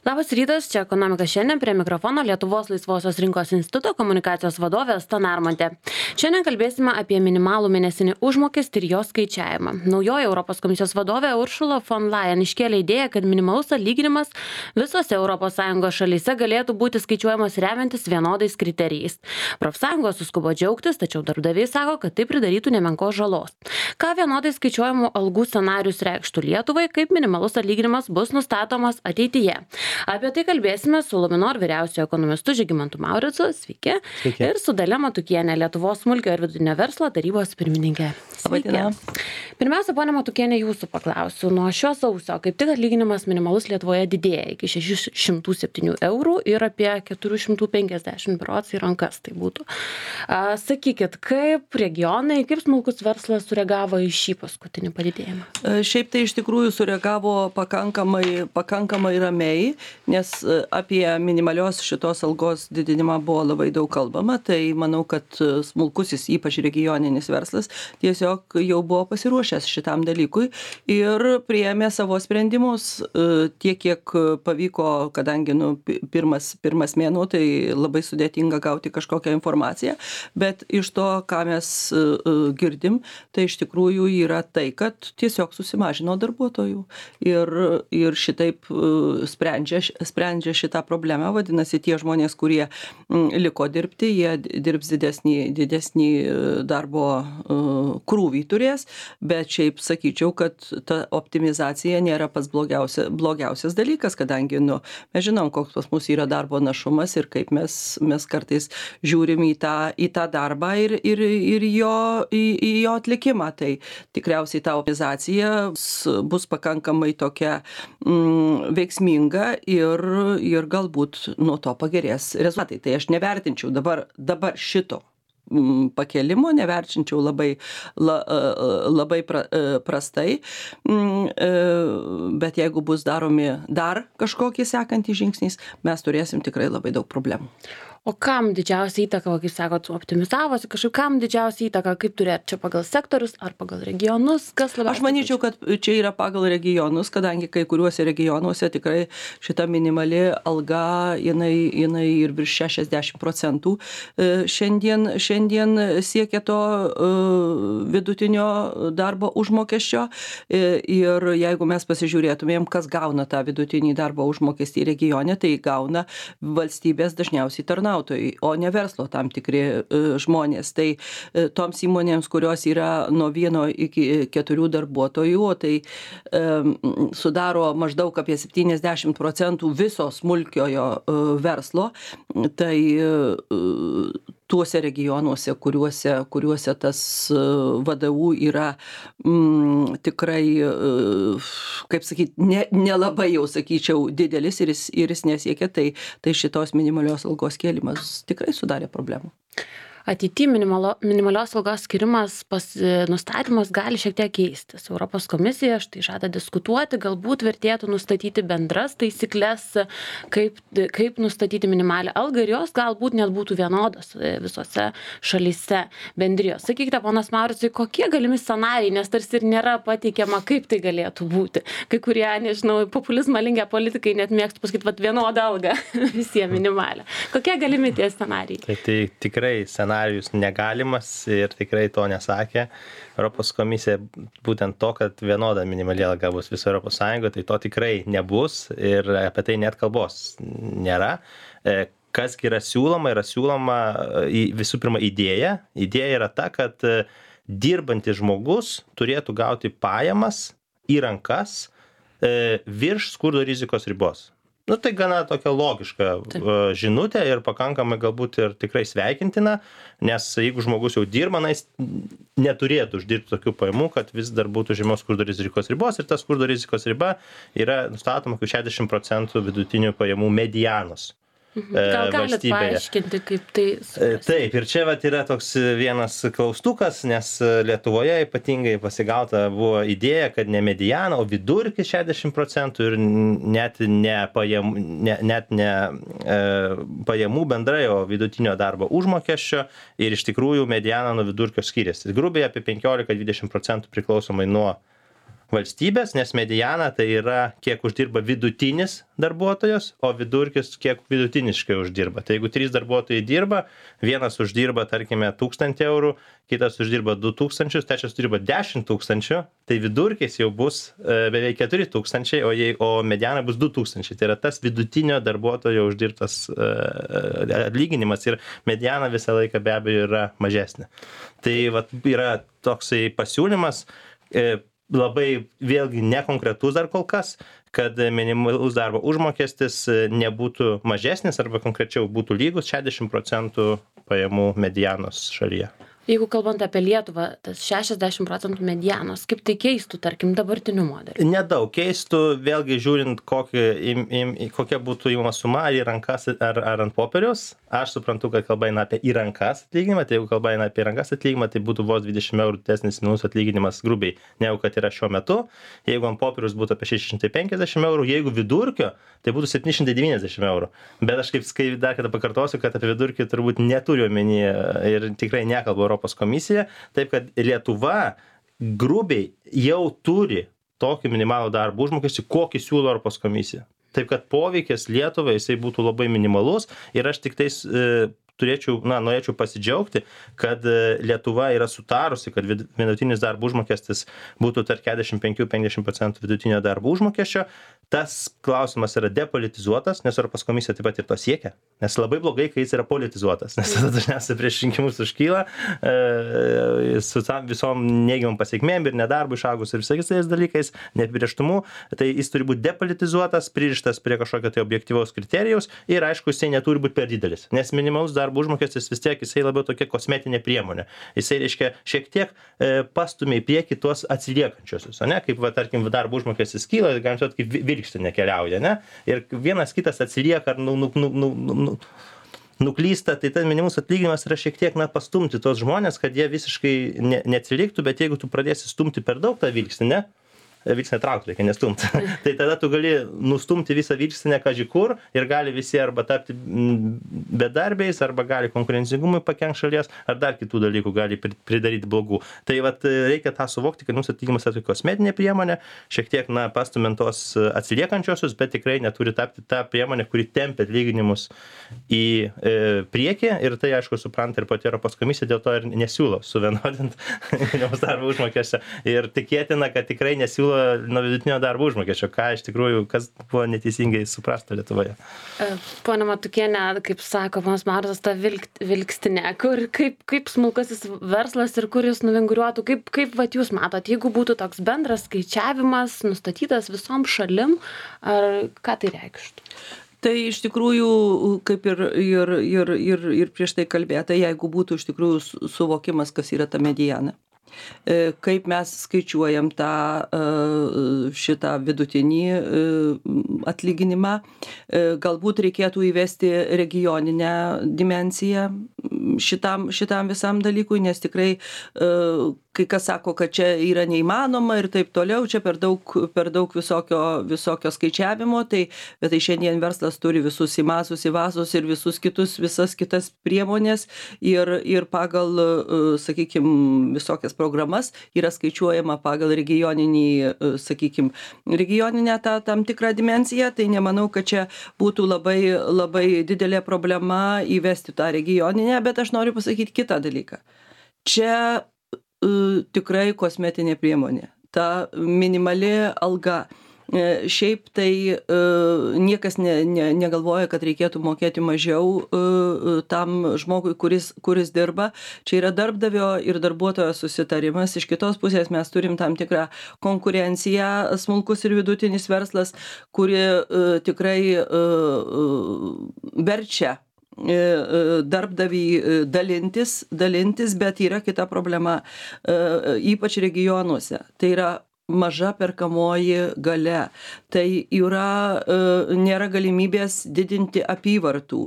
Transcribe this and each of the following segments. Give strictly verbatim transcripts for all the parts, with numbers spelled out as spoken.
Labas rytas, čia Ekonomika šiandien, prie mikrofono Lietuvos laisvosios rinkos instituto komunikacijos vadovė Asta Narmontė. Šiandien kalbėsime apie minimalų mėnesinį užmokestį ir jo skaičiavimą. Naujoji Europos komisijos vadovė Ursula von Leyen iškėlė idėją, kad minimalus atlyginimas visose Europos Sąjungos šalyse galėtų būti skaičiuojamas remiantis vienodais kriterijais. Profsąjungos suskubo džiaugtis, tačiau darbdaviai sako, kad tai pridarytų nemenkos žalos. Ką vienodai skaičiuojamų algų scenarius reikštų Lietuvai, kaip minimalus atlyginimas bus nustatomas ateityje. Apie tai kalbėsime su Luminor vyriausiojo ekonomistu Žygimantu Mauricu, sveiki, Sveiki. ir su Dalia Matukienė, Lietuvos smulkiojo ir vidutinio verslo tarybos pirmininkė. Sveiki. Pirmiausia, ponia Matukienė, jūsų paklausiu. Nuo šio sausio kaip tik atlyginimas minimalus Lietuvoje didėja iki šešių šimtų septynių eurų ir apie keturių šimtų penkiasdešimt berods į rankas tai būtų. A, sakykit, kaip regionai, kaip smulkus verslas sureagavo į šį paskutinį padidėjimą? Šiaip tai iš tikrųjų sureagavo pakankamai, pakankamai ramiai, nes apie minimalios šitos algos didinimą buvo labai daug kalbama, tai manau, kad smulkusis, ypač regioninis verslas, tiesiog jau buvo pasiruošęs šitam dalykui ir priėmė savo sprendimus tiek, kiek pavyko, kadangi nu, pirmas, pirmas mėnuo, tai labai sudėtinga gauti kažkokią informaciją, bet iš to, ką mes girdim, tai iš tikrųjų yra tai, kad tiesiog susimažino darbuotojų ir, ir šitaip sprendžia, sprendžia šitą problemą, vadinasi, tie žmonės, kurie liko dirbti, jie dirbs didesnį, didesnį darbo krūvį turės, bet šiaip sakyčiau, kad ta optimizacija nėra pats blogiausia, blogiausias dalykas, kadangi nu, mes žinom, koks pas mus yra darbo našumas ir kaip mes, mes kartais žiūrim į tą, į tą darbą ir, ir, ir jo, į, į jo atlikimą. Tai tikriausiai ta optimizacija bus pakankamai tokia mm, veiksminga ir, ir galbūt nuo to pagerės rezultatai. Tai aš nevertinčiau dabar, dabar šito pakelimo, neverčinčiau labai, la, labai pra, prastai, bet jeigu bus daromi dar kažkokie sekantys žingsniais, mes turėsim tikrai labai daug problemų. O kam didžiausia įtaka, kaip sakot, optimizavosi, kažkaip kam didžiausia įtaka, kaip turėt čia pagal sektorius ar pagal regionus, kas labiausiai? Aš manyčiau, kad čia yra pagal regionus, kadangi kai kuriuose regionuose tikrai šita minimali alga, jinai, jinai ir virš šešiasdešimt procentų šiandien, šiandien siekia to vidutinio darbo užmokesčio ir jeigu mes pasižiūrėtumėm, kas gauna tą vidutinį darbo užmokestį regione, tai gauna valstybės dažniausiai tarnautojai, o ne verslo tam tikri žmonės. Tai toms įmonėms, kurios yra nuo vieno iki keturių darbuotojų, tai um, sudaro maždaug apie septyniasdešimt procentų viso smulkiojo uh, verslo, tai uh, tuose regionuose, kuriuose, kuriuose tas V D U yra mm, tikrai, kaip sakyti, ne, nelabai jau sakyčiau didelis ir jis, ir jis nesiekia, tai, tai šitos minimalios algos kėlimas tikrai sudarė problemų. Ateity minimalo, minimalios algos skirimas pas nustatymas gali šiek tiek keistis. Europos komisija štai žada diskutuoti, galbūt vertėtų nustatyti bendras taisyklės, kaip, kaip nustatyti minimalią algą ir jos galbūt net būtų vienodos visose šalyse bendrijos. Sakykite, ponas Mauricai, kokie galimi scenarijai, nes tarsi ir nėra pateikiama, kaip tai galėtų būti. Kai kurie, nežinau, populizmą linkę politikai net mėgstų pasakyti, vat vienodą algą visiems minimalią. Kokie galimi tie scenarijai? Tai, tai tikrai scenarijus negalimas ir tikrai to nesakė. Europos komisija būtent to, kad vienoda minimali alga bus viso Europos Sąjungoje, tai to tikrai nebus ir apie tai net kalbos nėra. Kas yra siūloma, yra siūloma visų pirma idėja. Idėja yra ta, kad dirbantis žmogus turėtų gauti pajamas į rankas virš skurdo rizikos ribos. Nu, tai gana tokia logiška Taip. žinutė ir pakankamai galbūt ir tikrai sveikintina, nes jeigu žmogus jau dirba, na, jis neturėtų uždirbti tokių pajamų, kad vis dar būtų žemiau skurdo rizikos ribos ir ta skurdo rizikos riba yra nustatoma kaip šešiasdešimt procentų vidutinių pajamų medianos. Gal galit paaiškinti, kaip tai suprasti? Taip, ir čia vat yra toks vienas klaustukas, nes Lietuvoje ypatingai pasigauta buvo idėja, kad ne mediana, o vidurkis šešiasdešimt procentų ir net ne pajamų, ne, net ne e, pajamų bendrai, o vidutinio darbo užmokesčio ir iš tikrųjų mediana nuo vidurkio skiriasi. Grubiai apie penkiolika dvidešimt procentų priklausomai nuo valstybės, nes mediana tai yra kiek uždirba vidutinis darbuotojas, o vidurkis kiek vidutiniškai uždirba. Tai jeigu trys darbuotojai dirba, vienas uždirba, tarkime, tūkstantį eurų, kitas uždirba du tūkstančius, trečias uždirba dešimt tūkstančių, tai vidurkis jau bus e, beveik keturi tūkstančiai, o, jei, o mediana bus du tūkstančiai. Tai yra tas vidutinio darbuotojo uždirbtas e, atlyginimas ir mediana visą laiką be abejo yra mažesnė. Tai vat, yra toksai pasiūlymas, e, labai vėlgi nekonkretus dar kol kas, kad minimalus darbo užmokestis nebūtų mažesnis arba konkrečiau būtų lygus šešiasdešimt procentų pajamų medianos šalyje. Jeigu kalbant apie Lietuvą, tas šešiasdešimt procentų medianos, kaip tai keistų, tarkim, dabartiniu modeliu? Nedaug keistų, vėlgi žiūrint, kokį, im, im, kokia būtų įmama suma, ar į rankas, ar, ar ant popieriaus. Aš suprantu, kad kalba eina apie į rankas atlyginimą, tai jeigu kalba eina apie rankas atlyginimą, tai būtų vos dvidešimt eurų didesnis minimalus atlyginimas grubiai, negu kad yra šiuo metu. Jeigu ant popieriaus būtų apie šeši šimtai penkiasdešimt eurų, jeigu vidurkio, tai būtų septyni šimtai devyniasdešimt eurų. Bet aš kaip skai dar kada pakartosiu, kad apie vidurkį turbūt neturiu omenyje ir tikrai nekalbu Europos komisija, taip kad Lietuva grubiai jau turi tokį minimalų darbo užmokestį, kokį siūlo Europos komisija. Taip kad poveikis Lietuvai jisai būtų labai minimalus ir aš tik tais e, turėčiau, na, norėčiau pasidžiaugti, kad Lietuva yra sutarusi, kad vidutinis darbo užmokestis būtų tarp keturiasdešimt penki iki penkiasdešimt procentų vidutinio darbo užmokesčio. Tas klausimas yra depolitizuotas, nes Europos komisija taip pat ir to siekia. Nes labai blogai, kai jis yra politizuotas, nes tada dažniausiai prieš rinkimus užkyla e, su visom neigiamom pasiekmėm ir nedarbu išaugus ir visais tais dalykais, neapibrėžtumu. Tai jis turi būti depolitizuotas, pririštas prie kažkokio tai objektyvaus kriterijaus ir aišku, jisai neturi būti per didelis. Nes minimalus darbo užmokestis vis tiek jisai labiau tokia kosmetinė priemonė. Jisai reiškia šiek tiek e, pastumia į priekį tuos atsiliekančiosius, ne? Kaip va, tarkim, darbo užmokestis kyla, galim sakyti, kaip vilkštinė keliauja, ne? Ir vienas kitas atsilieka ar nu, nu, nu, nu, nu, nuklysta, tai tas minimalus atlyginimas yra šiek tiek, na, pastumti tos žmonės, kad jie visiškai ne, neatsiliktų, bet jeigu tu pradėsi stumti per daug tą vilkstinę, vilkstinę traukti reikia nestumti. Tai tada tu gali nustumti visą vilkstinę kaži kur ir gali visi arba tapti bedarbiais, arba gali konkurencingumui pakenkt šalies, ar dar kitų dalykų gali pridaryti blogų. Tai vat reikia tą suvokti, kad mūsų atlyginimas yra kosmetinė priemonė, šiek tiek, na, pastumiant tos atsiliekančiosius, bet tikrai neturi tapti tą priemonę, kuri tempia atlyginimus į e, priekį ir tai, aišku, supranta ir pati Europos komisija, dėl to ir nesiūlo suvienodinti minimalaus darbo užmokesčio ir tikėtina, kad tikrai nesiūlo nuo vidutinio darbo užmokesčio, ką iš tikrųjų, kas buvo neteisingai suprasta Lietuvoje. Pone Matukienė, kaip sako ponas Marotas, ta vilk, vilkstinė, kur, kaip, kaip smulkasis verslas ir kur jis nuvinguriuotų, kaip, kaip vat, jūs matot, jeigu būtų toks bendras skaičiavimas nustatytas visom šalim, ar ką tai reikštų? Tai iš tikrųjų, kaip ir, ir, ir, ir, ir prieš tai kalbėta, jeigu būtų iš tikrųjų suvokimas, kas yra ta mediana. Kaip mes skaičiuojam tą šitą vidutinį atlyginimą, galbūt reikėtų įvesti regioninę dimensiją šitam, šitam visam dalykui, nes tikrai kai kas sako, kad čia yra neįmanoma ir taip toliau, čia per daug, per daug visokio, visokio skaičiavimo, tai, bet tai šiandien verslas turi visus įmasus, įvasus ir visus kitus, visas kitas priemonės ir, ir pagal, sakykime, visokias programas yra skaičiuojama pagal regioninį, sakykime, regioninę tą tam tikrą dimensiją, tai nemanau, kad čia būtų labai, labai didelė problema įvesti tą regioninę, bet aš noriu pasakyti kitą dalyką. Čia tikrai kosmetinė priemonė. Ta minimali alga. Šiaip tai niekas ne, ne, negalvoja, kad reikėtų mokėti mažiau tam žmogui, kuris, kuris dirba. Čia yra darbdavio ir darbuotojo susitarimas. Iš kitos pusės mes turim tam tikrą konkurenciją, smulkus ir vidutinis verslas, kuri tikrai verčia darbdavį dalintis, dalintis, bet yra kita problema, ypač regionuose. Tai yra maža perkamoji galia. Tai yra, nėra galimybės didinti apyvartų.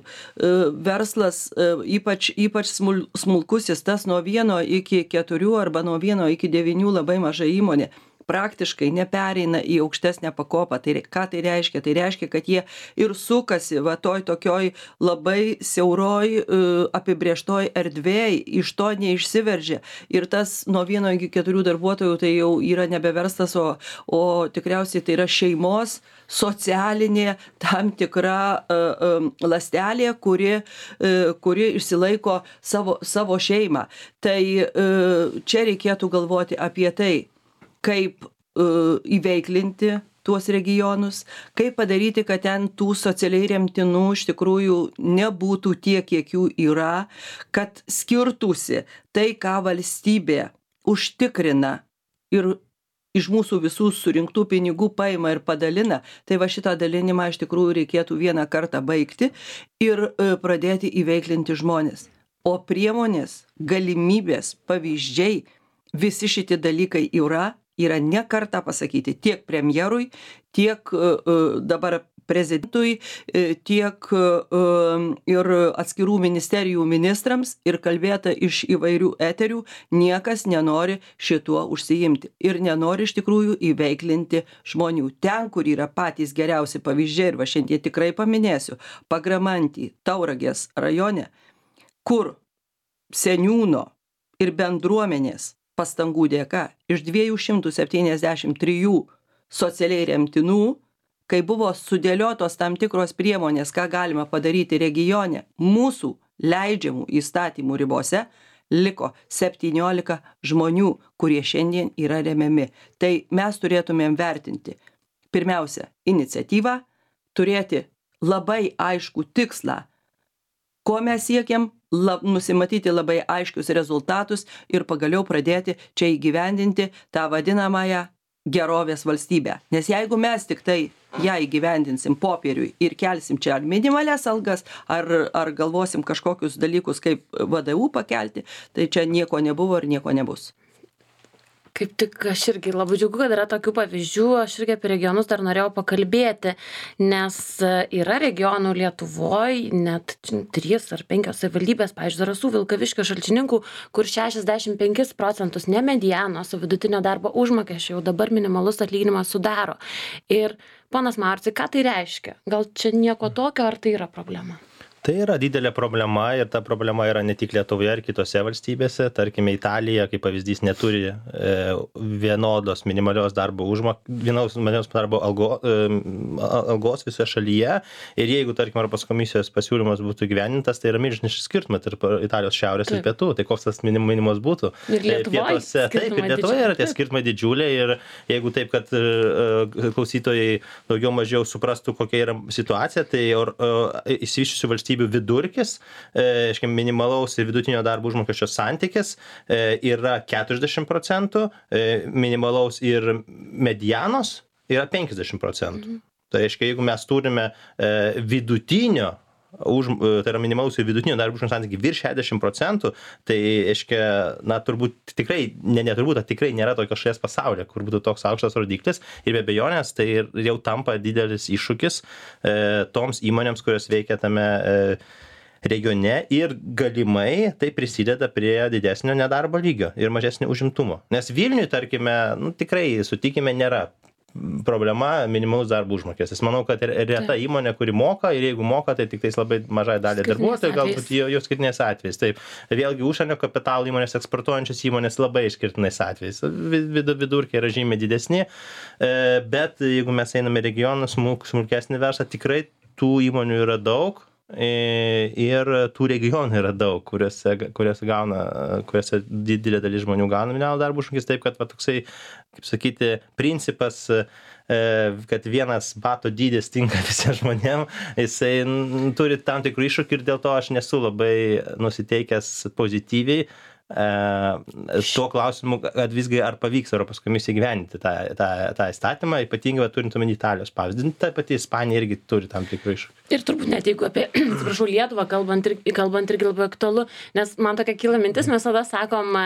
Verslas, ypač, ypač smulkusis, tas nuo vieno iki keturių arba nuo vieno iki devynių labai maža įmonė. praktiškai nepereina į aukštesnę pakopą. Tai ką tai reiškia? Tai reiškia, kad jie ir sukasi va toj tokioj labai siauroj apibrėžtoj erdvėj, iš to neišsiveržia. Ir tas nuo vieno iki keturių darbuotojų tai jau yra nebeverstas, o, o tikriausiai tai yra šeimos socialinė tam tikra uh, um, lastelė, kuri, uh, kuri išsilaiko savo, savo šeimą. Tai uh, čia reikėtų galvoti apie tai, kaip uh, įveiklinti tuos regionus, kaip padaryti, kad ten tų socialiai remtinų iš tikrųjų nebūtų tiek, kiek jų yra, kad skirtųsi tai, ką valstybė užtikrina ir iš mūsų visų surinktų pinigų paima ir padalina, tai va šitą dalinimą iš tikrųjų reikėtų vieną kartą baigti ir uh, pradėti įveiklinti žmonės. O priemonės, galimybės, pavyzdžiai, visi šitie dalykai yra, yra ne kartą pasakyti tiek premjerui, tiek uh, dabar prezidentui, uh, tiek uh, ir atskirų ministerijų ministrams ir kalbėta iš įvairių eterių, niekas nenori šituo užsiimti ir nenori iš tikrųjų įveiklinti žmonių. Ten, kur yra patys geriausi pavyzdžiai, ir va šiandien tikrai paminėsiu, Pagramanty, Tauragės rajone, kur seniūno ir bendruomenės pastangų dėka iš dviejų šimtų septyniasdešimt trijų socialiai remtinų, kai buvo sudėliotos tam tikros priemonės, ką galima padaryti regione, mūsų leidžiamų įstatymų ribose, liko septyniolika žmonių, kurie šiandien yra remiami. Tai mes turėtumėm vertinti pirmiausia iniciatyvą, turėti labai aiškų tikslą, ko mes siekiam, lab, nusimatyti labai aiškius rezultatus ir pagaliau pradėti čia įgyvendinti tą vadinamąją gerovės valstybę. Nes jeigu mes tik tai ją įgyvendinsim popieriui ir kelsim čia ar minimalias algas, ar, ar galvosim kažkokius dalykus kaip V D U pakelti, tai čia nieko nebuvo ir nieko nebus. Kaip tik aš irgi labai džiaugiu, kad yra tokių pavyzdžių, aš irgi apie regionus dar norėjau pakalbėti, nes yra regionų Lietuvoje, net trys ar penkios savivaldybės, pavyzdžiui, Zarasų, Vilkaviškio, Šalčininkų, kur šešiasdešimt penkis procentus ne medianos, o vidutinio darbo užmokesčio jau dabar minimalus atlyginimas sudaro. Ir ponas Mauricai, ką tai reiškia? Gal čia nieko tokio, ar tai yra problema? Tai yra didelė problema ir ta problema yra ne tik Lietuvoje ar kitose valstybėse. Tarkime, Italija, kaip pavyzdys, neturi e, vienodos minimalios darbo užmok, vienos minimalios darbo algo, e, algos visoje šalyje. Ir jeigu, tarkim, Europos komisijos pasiūlymas būtų gyvenintas, tai yra milžiniškas skirtumas tarp Italijos šiaurės taip. Ir pietų. Tai koks tas minim, minimumas būtų? Ir Lietuvoje. Taip, ir Lietuvoje yra tie skirtumai didžiuliai. Ir jeigu taip, kad e, klausytojai daugiau mažiau suprastų, kokia yra situacija, tai e, išsivyščiusių valstybių vidurkis, aiškiai, minimalaus ir vidutinio darbo užmokesčio santykis yra keturiasdešimt procentų, minimalaus ir medianos yra penkiasdešimt procentų. Mhm. Tai reiškia, jeigu mes turime vidutinio už, tai yra minimalus ir vidutinio darbo užmokesčio santykį virš šešiasdešimt procentų, tai, aiškia, na, turbūt tikrai, ne, ne turbūt, tikrai nėra tokios šalies pasaulyje, kur būtų toks aukštas rodiklis ir be abejonės tai jau tampa didelis iššūkis e, toms įmonėms, kurios veikia tame e, regione ir galimai tai prisideda prie didesnio nedarbo lygio ir mažesnio užimtumo. Nes Vilniui, tarkime, nu, tikrai, sutikime, nėra problema minimalus darbo užmokestis. Manau, kad reta įmonė, kuri moka ir jeigu moka, tai tik tais labai mažai dalį darbuotojų, galbūt jos skirtinės atvejais. Taip, vėlgi užsienio kapitalo įmonės, eksportuojančios įmonės labai išskirtinais atvejais. Vidurkiai yra žymiai didesni, bet jeigu mes einame regionus, smulkesnį verslą, tikrai tų įmonių yra daug. Ir tų regionų yra daug, kuriuose, kuriuose, gauna, kuriuose didelė dalis žmonių gauna minimalų darbo užmokestį, taip kad va, toksai, kaip sakyti, principas, kad vienas bato dydis tinka visiems žmonėms, jisai turi tam tikrų iššūkių ir dėl to aš nesu labai nusiteikęs pozityviai tuo klausimu, kad visgi ar pavyks Europos komisijai gyventi tą, tą, tą įstatymą, ypatingai turint omeny Italijos pavyzdį. Ta pati Ispanija irgi turi tam tikrų iššūkių. Ir turbūt net jeigu apie, atsiprašau, Lietuvą kalbant, ir, kalbant irgi labai aktualu, nes man tokia kyla mintis, mes tada sakom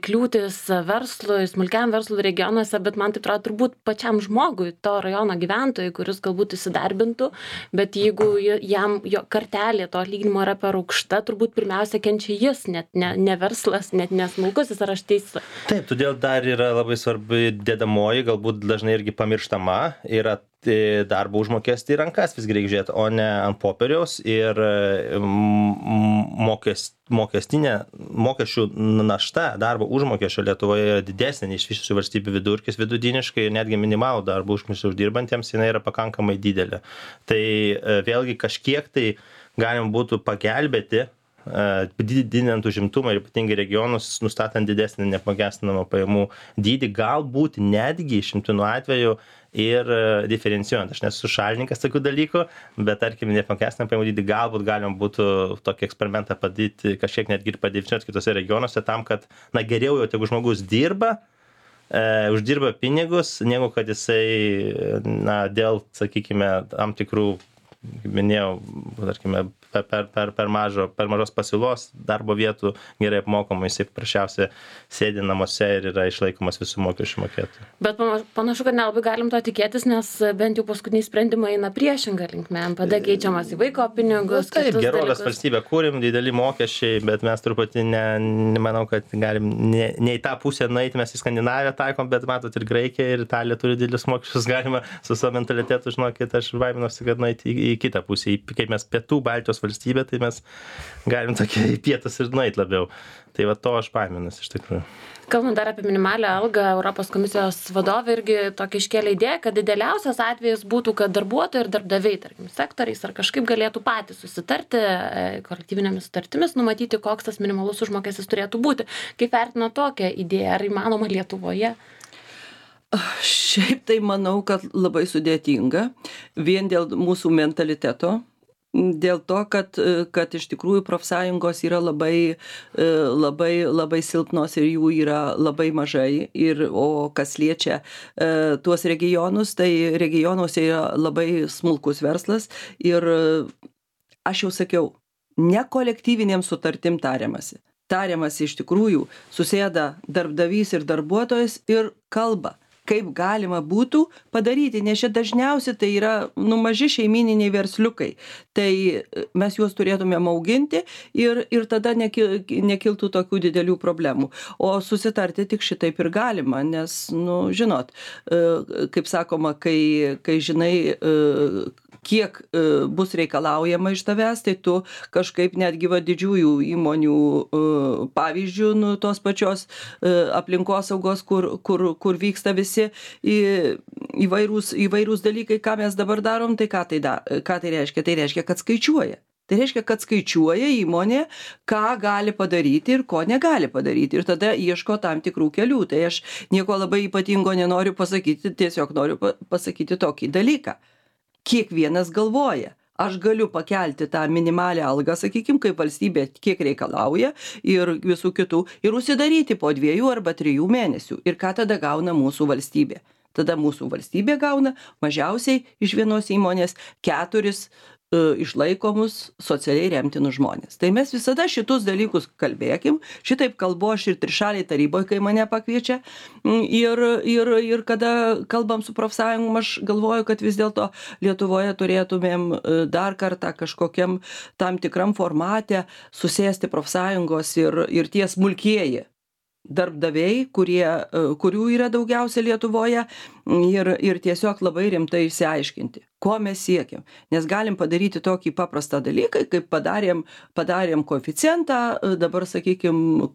kliūtis verslui, smulkiam verslui regionuose, bet man tai atrodo turbūt pačiam žmogui, to rajono gyventojui, kuris galbūt įsidarbintų, bet jeigu jam jo kartelė to atlyginimo yra per aukšta, turbūt pirmiausia kenčia jis, net ne, ne verslas. verslas, net nesmulkusis, ar aš teisi? Taip, todėl dar yra labai svarbi dedamoji, galbūt dažnai irgi pamirštama, yra darbo užmokestį į rankas visgi reikia žiūrėti, o ne ant popieriaus ir mokest, mokestinė mokesčių našta darbo užmokesčio Lietuvoje yra didesnė nei iš visų valstybių vidurkis vidutiniškai ir netgi minimalų darbo užmokestį uždirbantiems jinai yra pakankamai didelė. Tai vėlgi kažkiek tai galima būtų pagelbėti, didinant užimtumą ir ypatingai regionus, nustatant didesnį neapmokestinamą pajamų dydį, galbūt netgi išimtinų atveju ir diferencijuojant. Aš nesu šalininkas tokių dalykų, bet tarkim, neapmokestinamą pajamų dydį galbūt galima būtų tokį eksperimentą padaryti, kažkiek netgi ir padidinuoti kitose regionuose tam, kad na, geriau jau tegu žmogus dirba, e, uždirba pinigus, negu kad jisai na, dėl, sakykime, tam tikrų, kaip minėjau, tarkime, per, per, per, per, mažo, per mažos pasiūlos darbo vietų gerai apmokama, jisai paprasčiausiai sėdi namuose ir yra išlaikomas visų mokesčių mokėtojų. Bet panašu, kad nelabai galim to tikėtis, nes bent jau paskutiniai sprendimai eina priešingą linkmę. N P D keičiamas į vaiko pinigus. Taip, gerovės valstybę kūrim, dideli mokesčiai, bet mes truputį ne, nemanau, kad galim ne, ne į tą pusę nueiti, mes į Skandinaviją taikom, bet matot ir Graikija ir Italija turi didelius mokesčius, galima su savo mentalitetu, žinokit, aš baiminuosi, kad nueiti į, į kitą pusę, į, kaip mes pietų Baltijos valstybė, tai mes galim tokie į pietus ir nueiti labiau. Tai va to aš baiminuosi iš tikrųjų. Kalbant dar apie minimalią algą, Europos komisijos vadovė irgi tokį iškėlė idėją, kad idealiausias atvejis būtų, kad darbuotojai ir darbdaviai, tarkim, sektoriais ar kažkaip galėtų patys susitarti kolektyvinėmis sutartimis, numatyti, koks tas minimalus užmokestis turėtų būti. Kaip vertina tokią idėją, ar įmanoma Lietuvoje? Šiaip tai manau, kad labai sudėtinga, vien dėl mūsų mentaliteto. Dėl to, kad, kad iš tikrųjų profsąjungos yra labai, labai, labai silpnos ir jų yra labai mažai. Ir, o kas liečia e, tuos regionus, tai regionuose yra labai smulkus verslas. Ir aš jau sakiau, ne kolektyvinėm sutartim tariamasi. Tariamasi iš tikrųjų, susėda darbdavys ir darbuotojas ir kalba, kaip galima būtų padaryti, nes čia dažniausiai tai yra nu, maži šeimininiai versliukai. Tai mes juos turėtumėm auginti ir, ir tada nekil, nekiltų tokių didelių problemų. O susitarti tik šitaip ir galima, nes, nu, žinot, kaip sakoma, kai, kai žinai, kiek bus reikalaujama iš tavęs, tai tu kažkaip netgi va didžiųjų įmonių pavyzdžių, nu, tos pačios aplinkosaugos, kur, kur, kur vyksta visi įvairūs, įvairūs dalykai, ką mes dabar darom, tai ką tai, da, ką tai reiškia? Tai reiškia, kad skaičiuoja. Tai reiškia, kad skaičiuoja įmonė, ką gali padaryti ir ko negali padaryti. Ir tada ieško tam tikrų kelių. Tai aš nieko labai ypatingo nenoriu pasakyti, tiesiog noriu pasakyti tokį dalyką. Kiekvienas galvoja, aš galiu pakelti tą minimalią algą, sakykime, kaip valstybė kiek reikalauja ir visų kitų, ir užsidaryti po dviejų arba trijų mėnesių. Ir ką tada gauna mūsų valstybė? Tada mūsų valstybė gauna mažiausiai iš vienos įmonės keturis išlaikomus socialiai remtinus žmonės. Tai mes visada šitus dalykus kalbėkim, šitaip kalbu aš ir trišaliai taryboje, kai mane pakviečia, ir, ir, ir kada kalbam su profsąjungom, aš galvoju, kad vis dėlto Lietuvoje turėtumėm dar kartą kažkokiam tam tikram formate susėsti profsąjungos ir, ir tie smulkieji darbdaviai, kurie, kurių yra daugiausia Lietuvoje, ir, ir tiesiog labai rimtai išsiaiškinti, ko mes siekiam. Nes galim padaryti tokį paprastą dalyką, kaip padarėm, padarėm koeficientą, dabar, sakykime,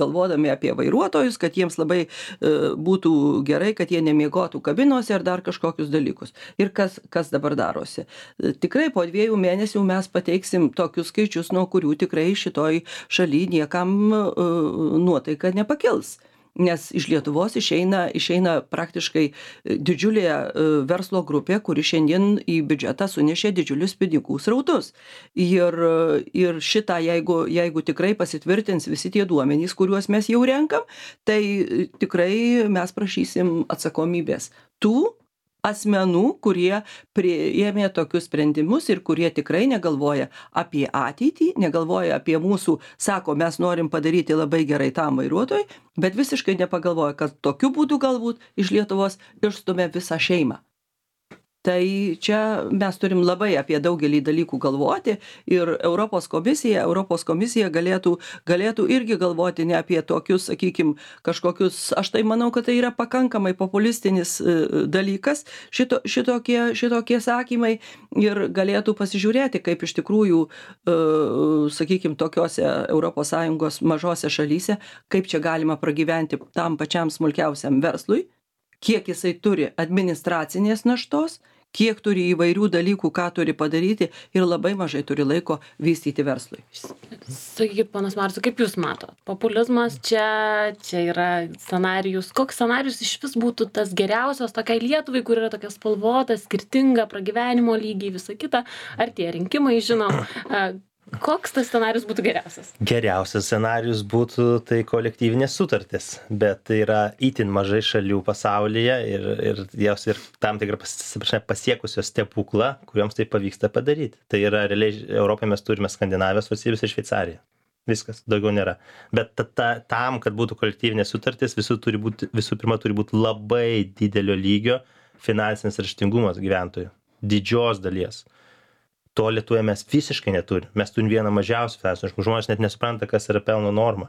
galvodami apie vairuotojus, kad jiems labai būtų gerai, kad jie nemiegotų kabinose ar dar kažkokius dalykus. Ir kas, kas dabar darosi? Tikrai po dviejų mėnesių mes pateiksim tokius skaičius, nuo kurių tikrai šitoj šaly niekam nuotaika nepakils. Nes iš Lietuvos išeina, išeina praktiškai didžiulė verslo grupė, kuri šiandien į biudžetą sunešė didžiulius pinigų srautus. Ir, ir šitą, jeigu, jeigu tikrai pasitvirtins visi tie duomenys, kuriuos mes jau renkam, tai tikrai mes prašysim atsakomybės tų asmenų, kurie priėmė tokius sprendimus ir kurie tikrai negalvoja apie ateitį, negalvoja apie mūsų, sako, mes norim padaryti labai gerai tam vairuotojui, bet visiškai nepagalvoja, kad tokiu būdu galbūt iš Lietuvos išstumia visą šeimą. Tai čia mes turim labai apie daugelį dalykų galvoti ir Europos komisija, Europos komisija galėtų, galėtų irgi galvoti ne apie tokius, sakykime, kažkokius, aš tai manau, kad tai yra pakankamai populistinis dalykas, šito, šitokie, šitokie sakymai ir galėtų pasižiūrėti, kaip iš tikrųjų, sakykime, tokiose Europos Sąjungos mažose šalyse, kaip čia galima pragyventi tam pačiam smulkiausiam verslui, kiek jisai turi administracinės naštos, kiek turi įvairių dalykų, ką turi padaryti ir labai mažai turi laiko vystyti verslui. Sakykit, ponas Marsu, kaip jūs matot? Populizmas čia, čia yra scenarijus. Koks scenarijus iš vis būtų tas geriausias tokiai Lietuvai, kur yra tokia spalvota, skirtinga pragyvenimo lygiai, visa kita? Ar tie rinkimai, žinom? Koks tas scenarijus būtų geriausias? Geriausias scenarijus būtų tai kolektyvinės sutartis, bet tai yra itin mažai šalių pasaulyje ir, ir jos ir tam tikrą pasiekusios stebuklą, kuriuoms tai pavyksta padaryti. Tai yra realiai Europoje mes turime Skandinavijos valstybės ir Šveicariją. Viskas, daugiau nėra. Bet ta, ta, tam, kad būtų kolektyvinės sutartis, visų, turi būti, visų pirma turi būti labai didelio lygio finansinis raštingumas gyventojų. Didžios dalies. To Lietuvoje mes visiškai neturim. Mes turim vieną mažiausių finansinių. Žmonės net nesupranta, kas yra pelno norma.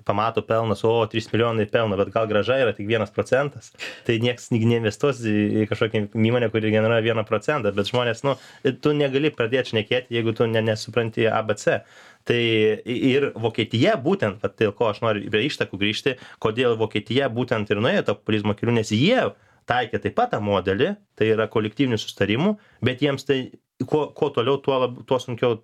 Pamato pelnas, o trys milijonai pelno, bet gal grąža yra tik vienas procentas. Tai niekas neinvestuos į kažkokią įmonę, kuri generuoja vieną procentą, bet žmonės, nu, tu negali pradėti šnekėti, jeigu tu ne, nesupranti A B C. Tai ir Vokietija būtent, va, dėl ko aš noriu prie ištakų grįžti, kodėl Vokietija būtent ir nuėjo tą populizmo keliu, nes jie taikė taip pat tą modelį, tai yra kolektyvinių sustarimų, bet jiems tai Kuo, kuo toliau, tuo, lab, tuo sunkiau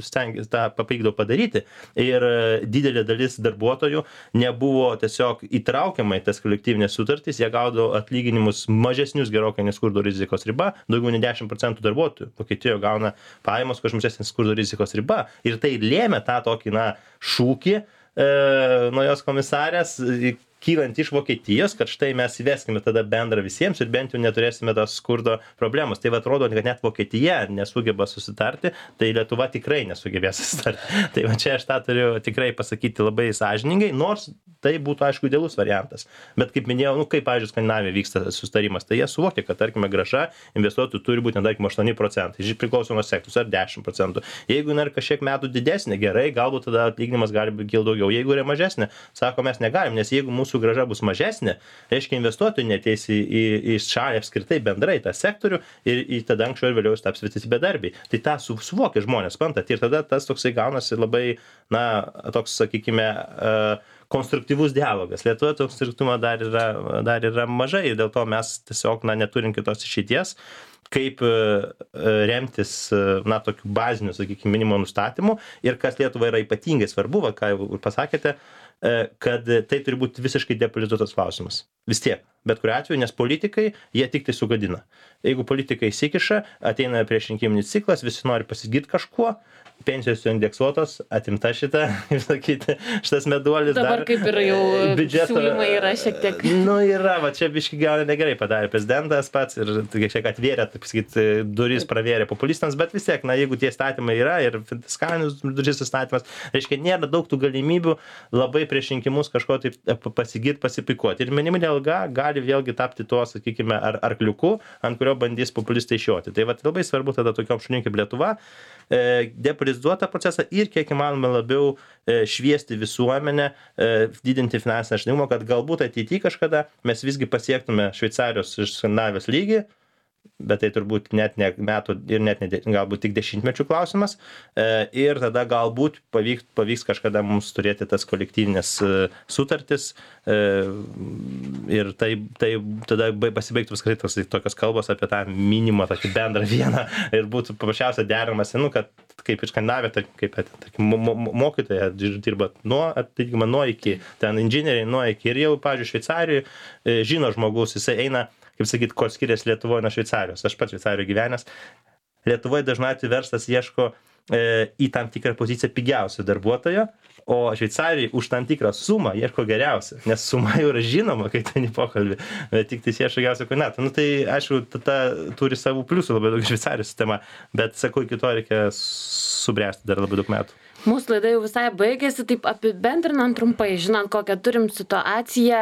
stengtis tą papykdavo padaryti. Ir didelė dalis darbuotojų nebuvo tiesiog įtraukiama į tas kolektyvinės sutartys, jie gaudavo atlyginimus mažesnius gerokai nei skurdo rizikos riba, daugiau nei dešimt procentų darbuotojų Vokietijoje gauna pajamas, kuo mažesnė skurdo rizikos riba. Ir tai lėmė tą tokį, na, šūkį e, nuo jos komisarės, kylant iš Vokietijos, kad štai mes įveskime tada bendrą visiems ir bent jau neturėsime tos skurdo problemos. Tai atrodo, kad net Vokietija nesugeba susitarti, tai Lietuva tikrai nesugebės susitarti. Tai va čia aš tą turiu tikrai pasakyti labai sąžiningai, nors tai būtų, aišku, idealus variantas. Bet kaip minėjau, nu, kaip, pavyzdžiui, Skandinavijoje vyksta susitarimas, tai jie suvokia, kad, tarkime, grąža investuotojų turi būti, tarkime, aštuoni procentai, iš priklauso nuo sektoriaus, ar dešimt procentų. Jeigu yra kažkiek metų didesnė, gerai, galbūt tada atlyginimas gali būti kilti daugiau. Jeigu yra mažesnė, sako, mes negalim, nes jeigu mūsų grąža bus mažesnė, reiškia investuotojai neteis į, į, į šalį apskritai bendrai tą sektorių ir į tada anksčiau ir vėliau taps visi bedarbiai. Tai tą su, suvokia žmonės, suprantat, ir tada tas toksai gaunasi labai, na, toks, sakykime, uh, konstruktyvus dialogas. Lietuvoje to konstruktyvumo dar yra, dar yra mažai ir dėl to mes tiesiog, na, neturim kitos išeities, kaip remtis, na, tokiu baziniu, sakykime, minimum nustatymu ir kas Lietuvai yra ypatingai svarbu, va, ką jau pasakėte, kad tai turi būti visiškai depolitizuotas klausimas. Vis tiek, bet kuriuo atveju, nes politikai, jie tik tai sugadina. Jeigu politikai įsikiša, ateina priešrinkiminis ciklas, visi nori pasigirti kažkuo, pensijos indeksuotos, atimta šitą, kaip sakyti, šitas meduolis. Dabar dar, kaip ir jau biudžeto siūlymai yra šiek tiek. Nu, yra, va čia biški gal negerai padarė prezidentas pats ir šiek atvėrė, taip sakyti, duris pravėrė populistams, bet vis tiek, na, jeigu tie statymai yra ir fiskalinis duris įstatymas, reiškia, nėra daug tų galimybių labai prieš rinkimus kažko taip pasigirti, pasipikuoti. Ir minimali alga gali vėlgi tapti tuo, sakykime, ar arkliuku, ant kurio bandys populistai išjoti. Tai va labai svarbu tada tokiom šalim kaip Lietuva depolitizuoti tą procesą ir kiek įmanoma labiau šviesti visuomenę, didinti finansinį raštingumą, kad galbūt ateityje kažkada mes visgi pasiektume Šveicarijos ir Skandinavijos lygį, bet tai turbūt net ne metų ir net ne, galbūt tik dešimtmečių klausimas. Ir tada galbūt pavyks, pavyks kažkada mums turėti tas kolektyvinės sutartis ir tai, tai tada pasibaigtų viskai tos tokios kalbos apie tą minimą, tokį bendrą vieną ir būtų paprasčiausia deramas, nu, kad kaip ir Skandinavija, kaip tarkim, mokytoja dirba nuo, atlyginimą nuo iki, ten inžinieriai nuo iki ir jau, pavyzdžiui, Šveicarijoje žino žmogus, jisai eina, kaip sakyt, ko skiriasi Lietuvoje nuo Šveicarijos. Aš pats Šveicarijoje gyvenęs. Lietuvoje dažnai atveju verslas ieško e, į tam tikrą poziciją pigiausio darbuotojo, o Šveicarijoje už tam tikrą sumą ieško geriausio, nes suma jau yra žinoma, kai ten į pokalbį, bet tik tai ieško geriausio kandidato. Nu tai, aišku, tada turi savų pliusų labai daug Šveicarijos sistema, bet sakau, iki to reikia subręsti dar labai daug metų. Mūsų laida jau visai baigėsi, taip apibendrinant trumpai, žinant, kokią turim situaciją,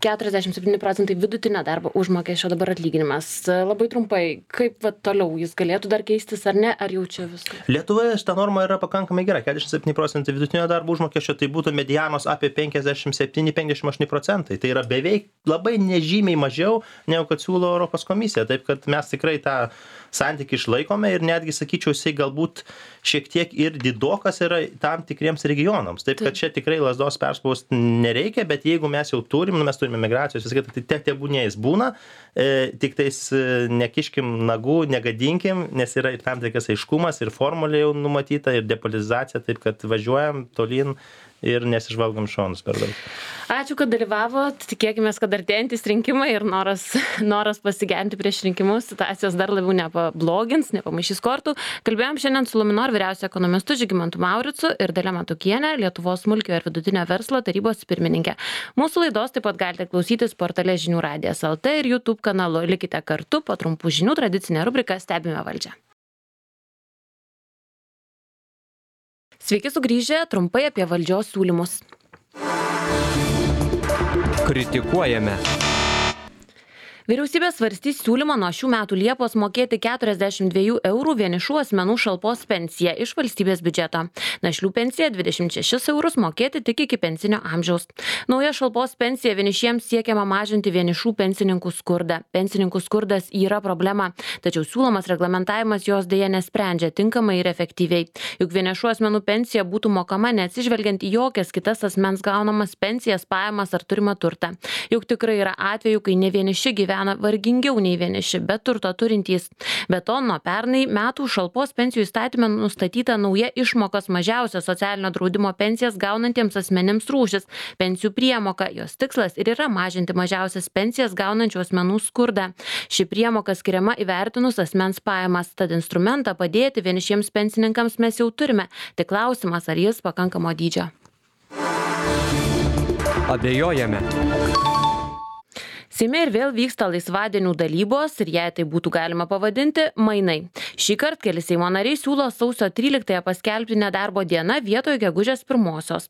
keturiasdešimt septyni procentai vidutinio darbo užmokesčio dabar atlyginimas. Labai trumpai, kaip va, toliau jis galėtų dar keistis ar ne, ar jau čia viskas? Lietuvoje šita norma yra pakankamai gera, keturiasdešimt septyni procentai vidutinio darbo užmokesčio, tai būtų medianos apie penkiasdešimt septyni penkiasdešimt aštuoni procentai. Tai yra beveik labai nežymiai mažiau, negu kad siūlo Europos komisija. Taip kad mes tikrai tą santykį išlaikome ir netgi, sakyčiau, jisai galbūt šiek tiek ir didokas yra tam tikriems regionams. Taip, kad čia tikrai lazdos perspausti nereikia, bet jeigu mes jau turim, nu, mes turime migracijos, viskai, tai tiek tebūnės būna, e, tik tais e, nekiškim nagų, negadinkim, nes yra ir tam tikras aiškumas, ir formulė jau numatyta, ir depolitizacija, taip kad važiuojam tolyn ir nesižvalgom šonus per daug. Ačiū, kad dalyvavot. Tikėkime, kad artėjantys rinkimai ir noras, noras pasigerinti prieš rinkimus situacijos dar labiau nepablogins, nepamaišys kortų. Kalbėjom šiandien su Luminor vyriausiu ekonomistu Žygimantu Mauricu ir Dalia Matukienė, Lietuvos smulkiojo ir vidutinio verslo tarybos pirmininkė. Mūsų laidos taip pat galite klausytis portale Žinių radijas L T ir YouTube kanalu. Likite kartu, po trumpų žinių tradicinė rubrika Stebime valdžią. Sveiki sugrįžę, trumpai apie valdžios siūlymus. Kritikuojame. Vyriausybė svarstys siūlymą nuo šių metų Liepos mokėti keturiasdešimt dviejų eurų vienišų asmenų šalpos pensiją iš valstybės biudžeto. Našlių pensija dvidešimt šešis eurus mokėti tik iki pensinio amžiaus. Nauja šalpos pensija vienišiems siekiama mažinti vienišų pensininkų skurdą. Pensininkų skurdas yra problema, tačiau siūlomas reglamentavimas jos dėja nesprendžia tinkamai ir efektyviai. Juk vienišų asmenų pensija būtų mokama neatsižvelgiant į jokias kitas asmens gaunamas pensijas, pajamas ar turimą turtą. Juk tikrai yra atvejų, kai ne vieniši gyvena vargingiau nei vieniši, bet turto turintys. Be to, nuo pernai metų šalpos pensijų įstatyme nustatyta nauja išmokos mažiausia socialinio draudimo pensijas gaunantiems asmenims rūšis – pensijų priemoka. Jos tikslas ir yra mažinti mažiausias pensijas gaunančių asmenų skurdą. Ši priemoka skiriama įvertinus asmens pajamas, tad instrumentą padėti vienišiems pensininkams mes jau turime. Tik klausimas, ar jis pakankamo dydžio. Abejojame. Seime ir vėl vyksta laisvadienių dalybos ir jei tai būtų galima pavadinti, mainai. Šį kartą keli Seimo nariai siūlo sausio tryliktąją paskelbti nedarbo dieną vietoje gegužės pirmosios.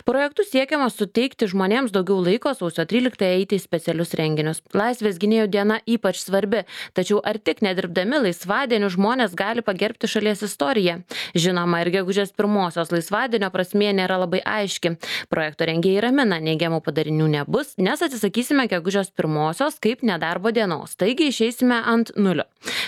Projektu siekiama suteikti žmonėms daugiau laiko sausio tryliktąją eiti į specialius renginius. Laisvės gynėjų diena ypač svarbi, tačiau ar tik nedirbdami laisvadienių žmonės gali pagerbti šalies istoriją? Žinoma, ir gegužės pirmosios laisvadienio prasmė nėra labai aiški. Projekto rengėjai ramina, neigiamų padarinių nebus, nes atsisakysime gegužės pirmosios kaip nedarbo dienos, taigi išeisime ant nulio.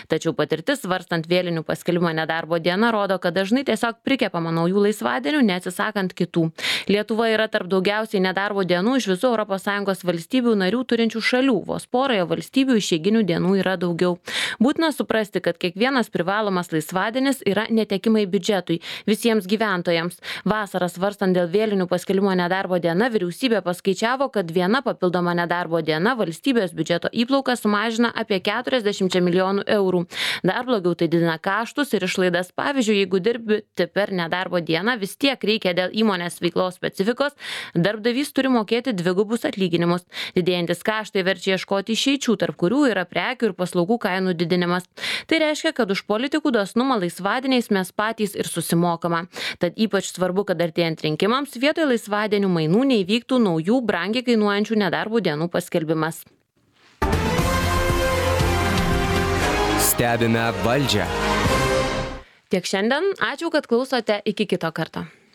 Tačiau patirtis svarstant vėlinių paskelbimo nedarbo dieną rodo, kad dažnai tiesiog prikepama naujų laisvadienių, neatsisakant kitų. Lietuva yra tarp daugiausiai nedarbo dienų iš visų Europos Sąjungos valstybių narių turinčių šalių, vos poroje valstybių išeiginių dienų yra daugiau. Būtina suprasti, kad kiekvienas privalomas laisvadienis yra netekimai biudžetui, visiems gyventojams. Vasarą svarstant dėl vėlinių paskelbimo nedarbo diena, vyriausybė paskaičiavo, kad viena papildoma nedarbo diena valstybės biudžeto įplauką sumažina apie keturiasdešimt milijonų eurų. Dar blogiau tai didina kaštus ir išlaidas. Pavyzdžiui, jeigu dirbti per nedarbo dieną, vis tiek reikia dėl įmonės veiklos specifikos, darbdavys turi mokėti dvigubus atlyginimus. Didėjantis kaštai verčia ieškoti išeičių, tarp kurių yra prekių ir paslaugų kainų didinimas. Tai reiškia, kad už politikų dosnumą laisvadieniais mes patys ir susimokama. Tad ypač svarbu, kad artėjant rinkimams vietoj laisvadienių mainų neįvyktų naujų brangiai kainuojančių nedarbo dienų paskelbimas. Stebime valdžią. Tiek šiandien. Ačiū, kad klausote. Iki kito karto.